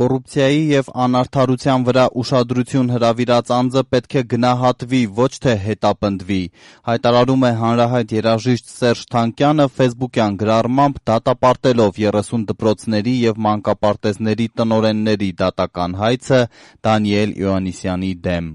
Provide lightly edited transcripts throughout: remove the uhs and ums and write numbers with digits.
Կոռուպցիայի եւ անարդարության վրա ուշադրություն հրավիրած անձը պետք է գնահատվի, ոչ թե հետապնդվի, հայտարարում է հանրահայտ երաժիշտ Սերժ Թանկյանը ֆեյսբուքյան գրառմամբ դատապարտելով 30 դպրոցների եւ մանկապարտեզների տնօրենների դատական հայցը Դանիել Իոաննիսյանի դեմ։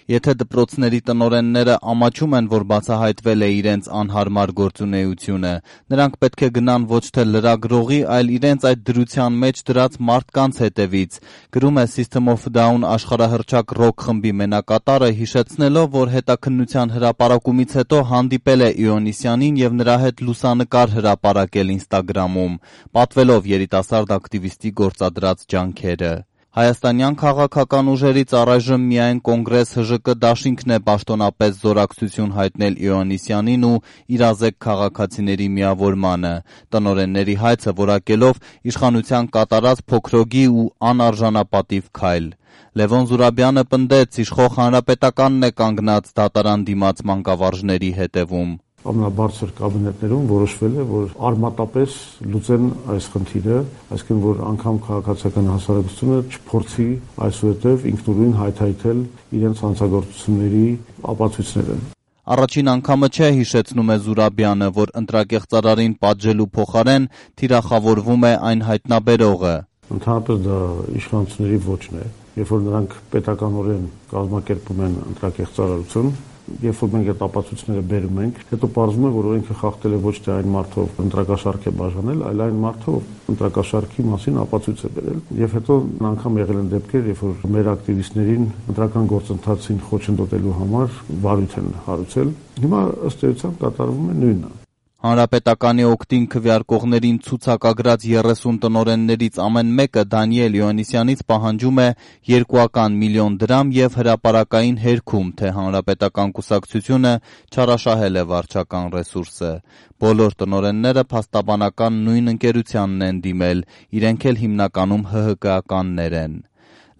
Եթե դպրոցների տնօրենները ամաչում են, որ բացահայտվել է իրենց անհարմար գործունեությունը, նրանք պետք է գնան ոչ թե լրագրողի, այլ իրենց այդ դրության մեջ դրած մարդկանց հետևից, գրում է System of a Down աշխարհահռչակ ռոք խմբի մենակատարը, հիշեցնելով, որ հետաքննության հրապարակումից հետո հանդիպել է Իոաննիսյանին եւ նրա հետ լուսանկար հրապարակել Instagram-ում, պատվելով երիտասարդ ակտիվիստի գործադրած ջանքերը։ Հայաստանյան քաղաքական ուժերից առայժմ միայն Կոնգրես ՀԺԿ դաշինքն է պաշտոնապես զորակցություն հայտնել Իոաննիսյանին ու իրազեկ քաղաքացիների միավորմանը, տնօրենների հայցը որակելով իշխանության կատարած փոքրոգի ու անարժանապատիվ քայլ։ Լևոն Զուրաբյանը պնդեց, իշխող հանրապետականն է կանգնած դատարան դիմաց մանկավարժների հետևում։ Ամենաբարձր կաբինետներում որոշվել է, որ արմատապես լուծեն այս խնդիրը, այսինքն որ անգամ քաղաքացիական հասարակությունը չփորձի այսուհետև ինքնուրույն հայթայթել իրենց հանցագործությունների ապացույցները։ Առաջին անգամը չէ, հիշեցնում է Զուրաբյանը, որ ընտրակեղծարարին պատժելու փոխարեն թիրախավորվում է այն հայտնաբերողը։ Ընդհանրապես դա իշխանությունների ոճն է, երբ որ նրանք պետականորեն կազմակերպում են ընտրակեղծարարություն, երբ որ մենք այդ ապացույցները բերում ենք, հետո պարզվում է, որ օրենքը խախտել է ոչ թե այն մարդով ընտրակաշարք է բաժանել, այլ այն մարդով ընտրակաշարքի մասին ապացույց է բերել։ Եվ հետո անգամ եղել են դեպքեր, երբ որ մեր ակտիվիստներին ընտրական գործընթացին խոչընդոտելու համար վարույթ են հարուցել։ Հիմա ըստ էության կատարվում է նույնը։ Հանրապետականի օգտին քվեարկողներին ցուցակագրած 30 տնօրեններից ամեն մեկը Դանիել Իոաննիսյանից պահանջում է 2 միլիոն դրամ եւ հրապարակային հերքում, թե հանրապետական կուսակցությունը չարաշահել է վարչական ռեսուրսը։ Բոլոր տնօրենները փաստաբանական նույն ընկերությանն են դիմել, իրենք էլ հիմնականում ՀՀԿ-ականներ են։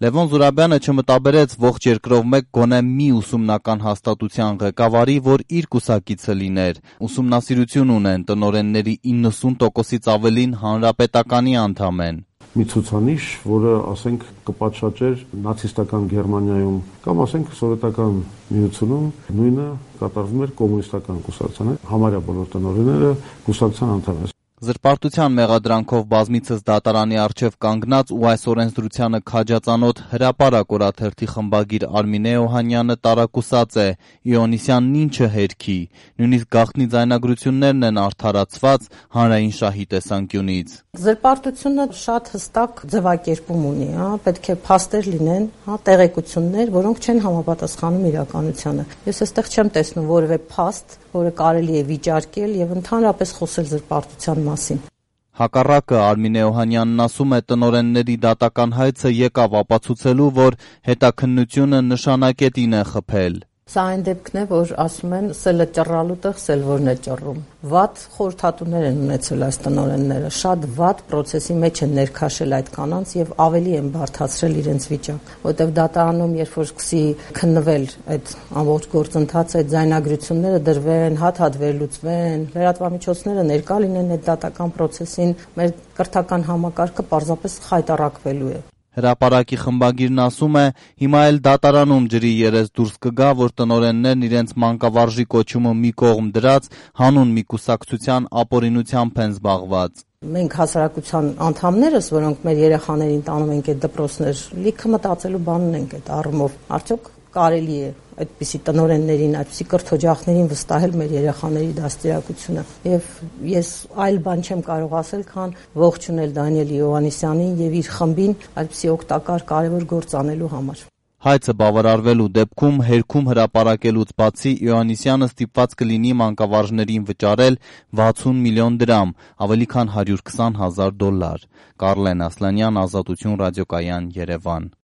Լևոն Զուրաբյանը չմտաբերեց ողջ երկրով մեկ գոնե մի ուսումնական հաստատության ղեկավարի, որ իր կուսակիցը լիներ։ Ուսումնասիրություն ունեն տնօրենների 90%-ից ավելին հանրապետականի անդամ են։ Մի ցուցանիշ, որը, ասենք, կպատշաճեր նացիստական Գերմանիայում կամ, ասենք, սովետական միությունում նույնը կատարվում էր կոմունիստական կուսակցության, համարյա բոլոր տնօրենները կուսակցության անդամ են։ Զրպարտության մեղադրանքով բազմիցս դատարանի առջև կանգնած ու այս օրենսդրությանը քաջածանոթ հրապարակ օրաթերթի խմբագիր Արմինե Օհանյանը տարակուսած է, Իոաննիսյանն ինչը հերքի, նույնիսկ գաղտնի ձայնագրություններն են արդարացված հանրային շահի տեսանկյունից։ Զրպարտությունը շատ հստակ ձևակերպում ունի, պետք է փաստեր լինեն, տեղեկություններ, որոնք չեն համապատասխանում իրականությանը։ Ես այստեղ չեմ տեսնում որևէ փաստ, որը կարելի է վիճարկել եւ ընդհանրապես խոսել զրպարտության մասին։ Հակառակը Արմինե Օհանյանն ասում է, տնօրենների դատական հայցը եկավ ապացուցելու, որ հետաքննությունը նշանակետին է խփել։ Սա այն դեպքն է, որ ասում են սելը ճռռալու տեղ սելվորն է ճռռում։ Վատ խորհրդատուներ են ունեցել այս տնօրենները, շատ վատ process-ի մեջ են ներքաշել այդ կանանց եւ ավելի են բարդացրել իրենց վիճակ, որտեղ դատարանում երբ որ սկսի քննվել այդ ամբողջ գործընթացը, այդ ձայնագրությունները դրվեն, հատ-հատ վերլուծվեն, լրատվամիջոցները ներկա լինեն այդ դատական process-ին, մեր կրթական համակարգը պարզապես խայտառակվելու է։ Հրապարակի խմբագիրն ասում է, հիմա էլ դատարանում ջրի երես դուրս կգա, որ տնօրեններն իրենց մանկավարժի կոչումը մի կողմ դրած հանուն մի կուսակցության ապօրինությամբ են զբաղված։ Մենք հասարակության անդամներս, որոնք մեր երեխաներին տանում ենք այդ դպրոցներ, լիքը մտածելու բան ունենք այդ առումով։ Արդյոք կարելի է այդպիսի տնօրեններին, այդպիսի կրթօջախներին վստահել մեր երեխաների դաստիարակությունը։ Եվ ես այլ բան չեմ կարող ասել, քան ողջունել Դանիել Իոաննիսյանին եւ իր խմբին այդպիսի օգտակար կարևոր գործ անելու համար։ Հայցը բավարարվելու դեպքում հերքում հրապարակելուց բացի Իոաննիսյանը ստիպված կլինի մանկավարժներին վճարել 60 միլիոն դրամ, ավելի քան $120,000։ Կարլեն Ասլանյան, Ազատություն ռադիոկայան, Երևան։